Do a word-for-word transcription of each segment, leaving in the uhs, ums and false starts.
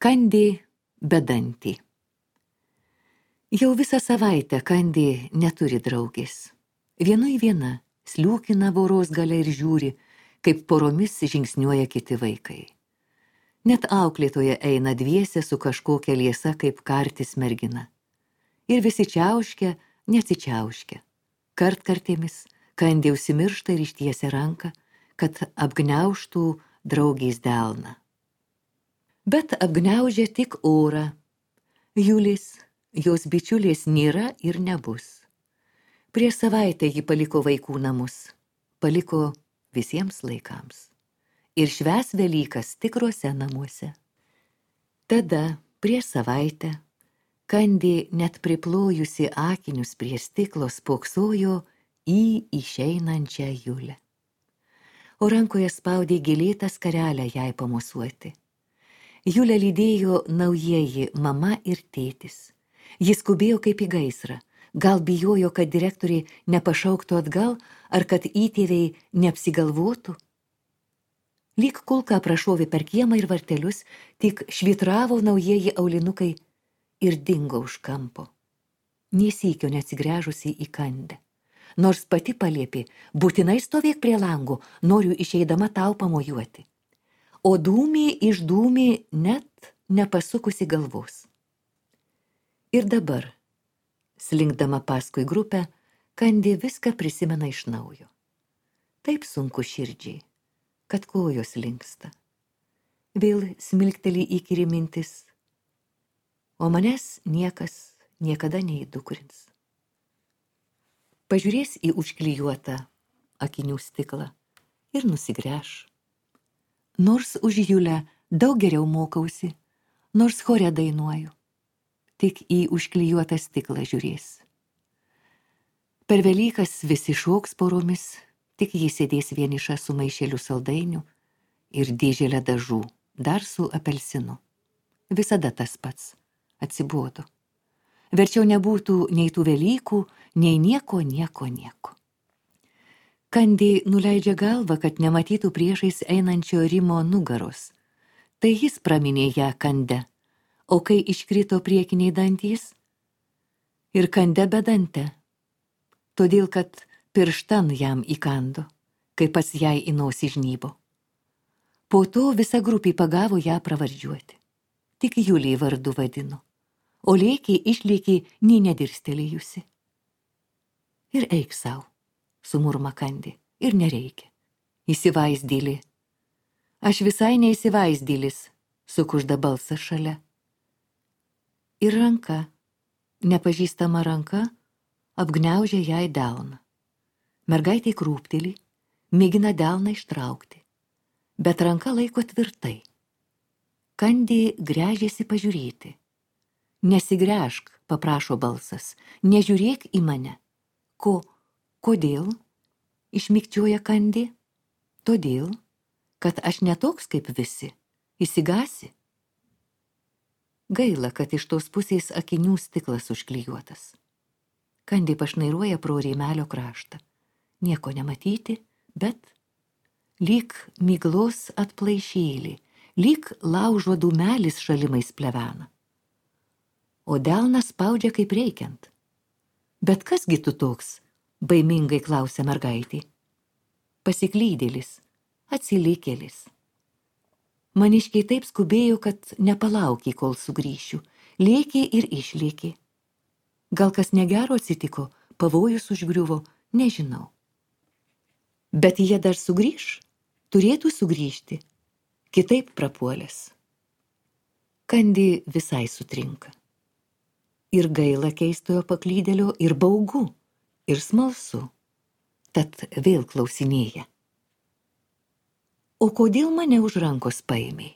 Kandė bedantį. Jau visą savaitę Kandė neturi draugės. Vienui viena sliūkina voros gale ir žiūri, kaip poromis žingsniuoja kiti vaikai. Net auklėtoja eina dviese su kažkokia liesa kaip kartis mergina. Ir visi čiauškia, neatsičiauškia. Kartkartėmis Kandė užsimiršta ir ištiesia ranką, kad apgniaužtų draugės delną. Bet apgniaužia tik orą. Julės, jos bičiulės nėra ir nebus. Prieš savaitę ji paliko vaikų namus. Paliko visiems laikams. Ir švęs Velykas tikruose namuose. Tada, prieš savaitę, Kandė net priplojusi akinius prie stiklo spoksojo į išeinančią Julę. O rankoje spaudė gėlėtą skarelę jai pamosuoti. Julę lydėjo naujieji mama ir tėtis. Jis skubėjo kaip į gaisrą. Gal bijojo, kad direktoriai nepašauktų atgal, ar kad įtėviai neapsigalvotų. Lyg kulka prašovė per kiemą ir vartelius, tik švitravo naujieji aulinukai ir dingo už kampo. Nė sykio neatsigręžusi į Kandę. Nors pati paliepė, būtinai stovėk prie langų, noriu išeidama tau pamojuoti. O dūmė išdūmė net nepasukusi galvos. Ir dabar, slinkdama paskui grupę, Kandė viską prisimena iš naujo. Taip sunku širdžiai, kad kojos linksta. Vėl smilkteli įkyri mintis, o manęs niekas niekada neįdukrins. Pažiūrės į užklijuotą akinių stiklą ir nusigręš. Nors už Julę daug geriau mokausi, nors chore dainuoju, tik į užklijuotą stiklą žiūrės. Per Velykas visi šoks poromis, tik jis sėdės vieniša su maišeliu saldainių ir dėželę dažų, dar su apelsinu. Visada tas pats, atsibodo. Verčiau nebūtų nei tų Velykų, nei nieko, nieko, nieko. Kandė nuleidžia galvą, kad nematytų priešais einančio Rimo nugaros. Tai jis praminė ją Kande, o kai iškrito priekiniai dantys, ir Kande bedante, todėl kad pirštan jam įkando, kai pats jai į nosį žnybo. Po to visa grupė pagavo ją pravardžiuoti. Tik Julį vardu vadino, o lėkė išlėkė nei nedirstelėjusi. Ir eik sau, sumurma Kandė, ir nereikia. Įsivaizdėlė. Aš visai neįsivaizdėlis, sukužda balsas šalia. Ir ranka, nepažįstama ranka, apgniaužia jai delną. Mergaitė krūpteli, mėgina delną ištraukti, bet ranka laiko tvirtai. Kandė gręžiasi pažiūrėti. Nesigręžk, paprašo balsas, nežiūrėk į mane. Ko, kodėl? Išmikčioja Kandė. Todėl, kad aš netoks kaip visi, įsigasi. Gaila, kad iš tos pusės akinių stiklas užklijuotas. Kandė pašnairuoja pro rėmelio kraštą. Nieko nematyti, bet lyg miglos atplaišėlį, lyg laužo dūmelis šalimais plevena. O delnas spaudžia kaip reikiant. Bet kasgi tu toks, baimingai klausia mergaitė. Pasiklydėlis, atsilikėlis. Maniškiai taip skubėjo, kad nepalaukė, kol sugrįšiu. Lėkė ir išlėkė. Gal kas negero atsitiko, pavojus užgriuvo, nežinau. Bet jie dar sugrįš, turėtų sugrįžti, kitaip prapuolės. Kandė visai sutrinka. Ir gaila keistojo paklydėlio, ir baugu, ir smalsu. Tad vėl klausinėja. O kodėl mane už rankos paėmei?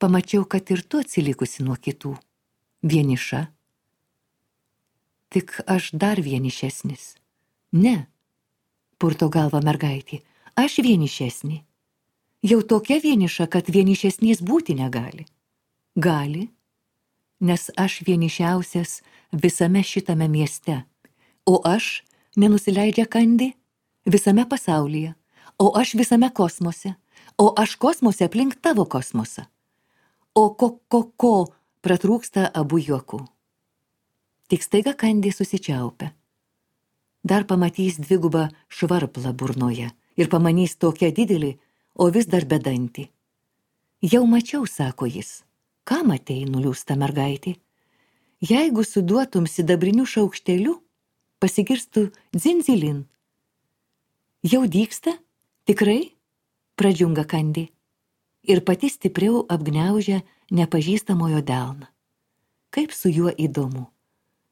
Pamačiau, kad ir tu atsilikusi nuo kitų. Vieniša. Tik aš dar vienišesnis. Ne, purto galva mergaitė, aš vienišesnė. Jau tokia vieniša, kad vienišesnės būti negali. Gali, nes aš vienišiausias visame šitame mieste, o aš nenusileidžia Kandė visame pasaulyje, o aš visame kosmose, o aš kosmose aplink tavo kosmosą. o ko-ko-ko pratrūksta abu juokų. Tik staiga Kandi susičiaupia. Dar pamatys dvigubą švarplą burnoje ir pamanys tokią didelį, o vis dar bedantį. Jau mačiau, sako jis. Ką matei, nuliūsta mergaitė? Jeigu suduotum sidabriniu šaukšteliu, pasigirstų dzinzilin. Jau dyksta? Tikrai? Pradžiunga Kandi. Ir pati stipriau apgniaužia nepažįstamojo delną. Kaip su juo įdomu.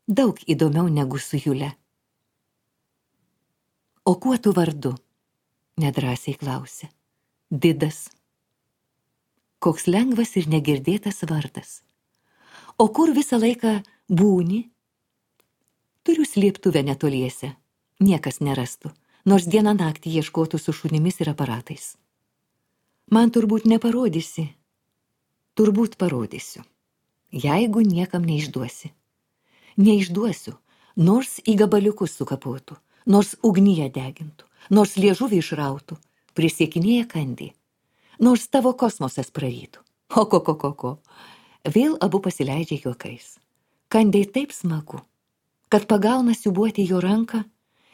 Daug įdomiau negu su Jule. O kuo tu vardu? Nedrąsiai klausė. Didas. Koks lengvas ir negirdėtas vardas. O kur visą laiką būni? Turiu slėptuvę netoliese. Niekas nerastų, nors dieną naktį ieškotų su šunimis ir aparatais. Man turbūt neparodysi. Turbūt parodysiu. Jeigu niekam neišduosi. Neišduosiu, nors į gabaliukus sukapotų, nors ugnyje degintų, nors liežuvį išrautų, prisiekinėja Kandi, nors tavo kosmosas prarytų. O ko, ko, ko, ko. Vėl abu pasileidžia juokais. Kandai taip smagu, kad pagauna siūbuoti jo ranką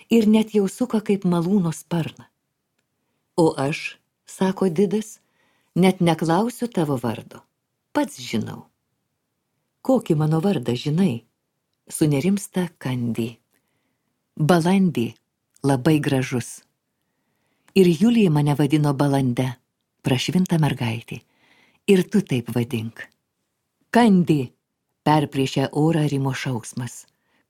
ir net jau suka kaip malūno sparną. O aš, sako Didas, net neklausiu tavo vardo. Pats žinau. Kokį mano vardą žinai? Sunerimsta Kandi. Balandį, labai gražus. Ir Julija mane vadino Balande, prašvinta mergaitė. Ir tu taip vadink. Kandi, perpriešia orą Rimo šauksmas.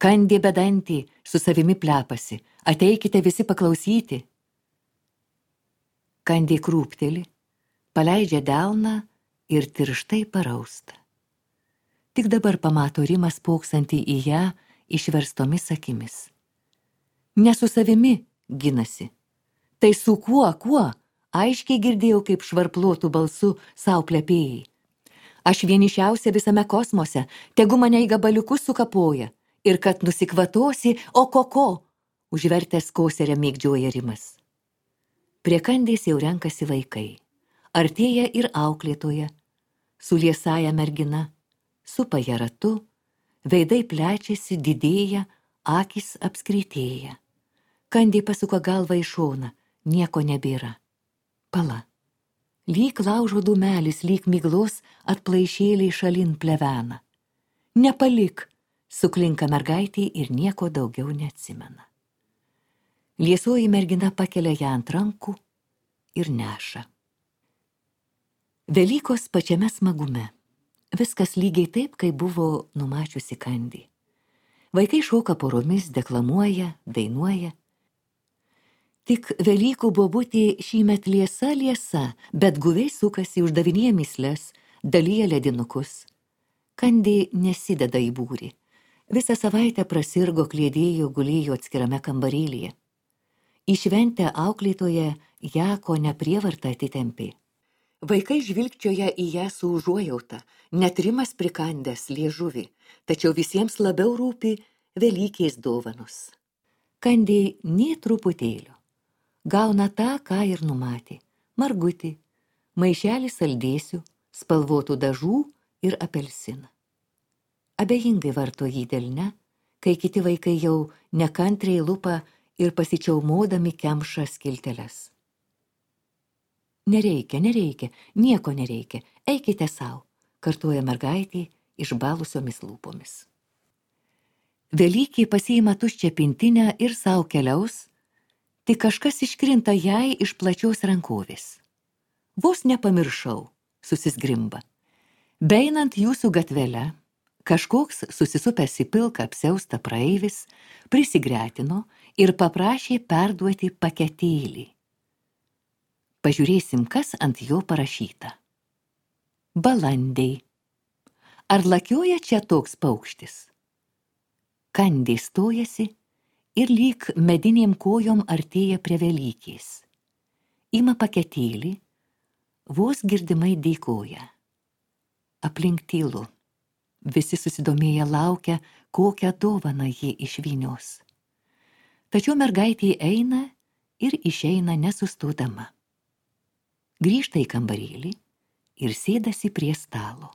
Kandi bedantį, su savimi plepasi. Ateikite visi paklausyti. Kandi krūpteli, paleidžia delną ir tirštai parausta. Tik dabar pamato Rimą spoksantį į ją išverstomis akimis. Ne su savimi ginasi. Tai su kuo, kuo? Aiškiai girdėjau, kaip švarplotų balsu sau plepėjai. Aš vienišiausia visame kosmose, tegu mane į gabaliukus sukapoja. Ir kad nusikvatosi, o koko, užvertęs koserę mėgdžioja Rimas. Prie Kandės jau renkasi vaikai. Artėja ir auklėtoja, su liesaja mergina. Supa ją ratu, veidai plečiasi, didėja, akys apskritėja. Kandi pasuka galvą į šoną, nieko nebėra. Pala. Lyg laužo dūmelis, lyg miglos atplaišėliai šalin plevena. Nepalik, suklinka mergaitė ir nieko daugiau neatsimena. Liesoji mergina pakelia ją ant rankų ir neša. Velykos pačiame smagume. Viskas lygiai taip, kaip buvo numačiusi Kandi. Vaikai šoka poromis, deklamuoja, dainuoja. Tik Velykų bobutė šįmet liesa liesa, bet guviai sukasi, uždavinėja mįsles, dalyja ledinukus. Kandi nesideda į būrį. Visą savaitę prasirgo, kliedėjo, gulėjo atskirame kambarėlyje. Į šventę auklėtoje ją ko neprievarta atitempė. Vaikai žvilgčioja į ją su užuojauta, net Rimas prikandęs liežuvį, tačiau visiems labiau rūpi Velykės dovanos. Kandi nė truputėlio. Gauna tą, ką ir numatė. Margutį, maišelį saldėsių, spalvotų dažų ir apelsiną. Abejingai varto jį delne, kai kiti vaikai jau nekantriai lupa ir pasičiaumodami kemša skilteles. Nereikia, nereikia, nieko nereikia, eikite sau, kartuoja mergaitė išbalusiomis lūpomis. Velykė pasiima tuščią pintinę ir sau keliaus, tik kažkas iškrinta jai iš plačios rankovės. Vos nepamiršau, susizgrimba. Beinant jūsų gatvele, kažkoks susisupęs į pilką apsiaustą praeivis prisigretino ir paprašė perduoti paketėlį. Pažiūrėsim, kas ant jo parašyta. Balandei. Ar lakioja čia toks paukštis? Kandi stojasi ir lyg medinėm kojom artėja prie Velykės. Ima paketėlį, vos girdimai dėkoja. Aplink tylu. Visi susidomėję laukia, kokią dovaną ji išvynios. Tačiau mergaitė eina ir išeina nesustodama. Grįžta į kambarėlį ir sėdasi prie stalo.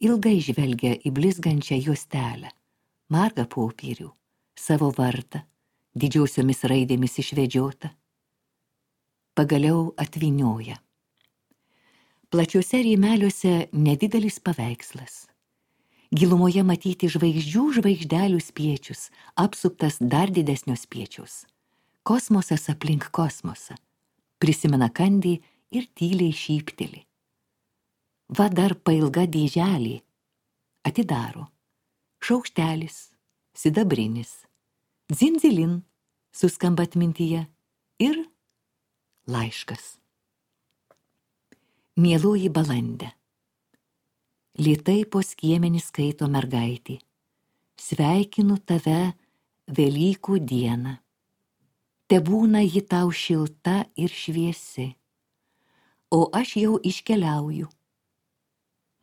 Ilgai žvelgia į blizgančią juostelę, margą popierių, savo vardą, didžiosiomis raidėmis išvedžiota. Pagaliau atvynioja. Plačiuose rėmeliuose nedidelis paveikslas. Gilumoje matyti žvaigždžių žvaigždelių spiečius, apsuptas dar didesnio spiečiaus. Kosmosas aplink kosmosą. Prisimena Kandi ir tyliai šypteli. Va dar pailga dėželė. Atidaro. Šaukštelis, sidabrinis. Dzindzilin, suskamba atmintyje. Ir laiškas. Mieloji balandė. Lėtai po skiemenį skaito mergaitė. Sveikinu tave Velykų dieną. Tebūna ji tau šilta ir šviesi. O aš jau iškeliauju.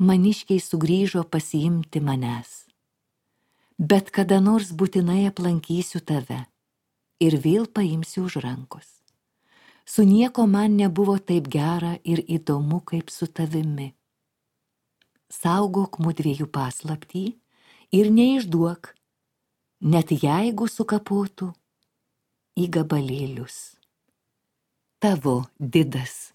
Maniškiai sugrįžo pasiimti manęs. Bet kada nors būtinai aplankysiu tave ir vėl paimsiu už rankos. Su nieko man nebuvo taip gera ir įdomu kaip su tavimi. Saugok mudviejų paslaptį ir neišduok, net jeigu sukapotų į gabalėlius. Tavo Didas.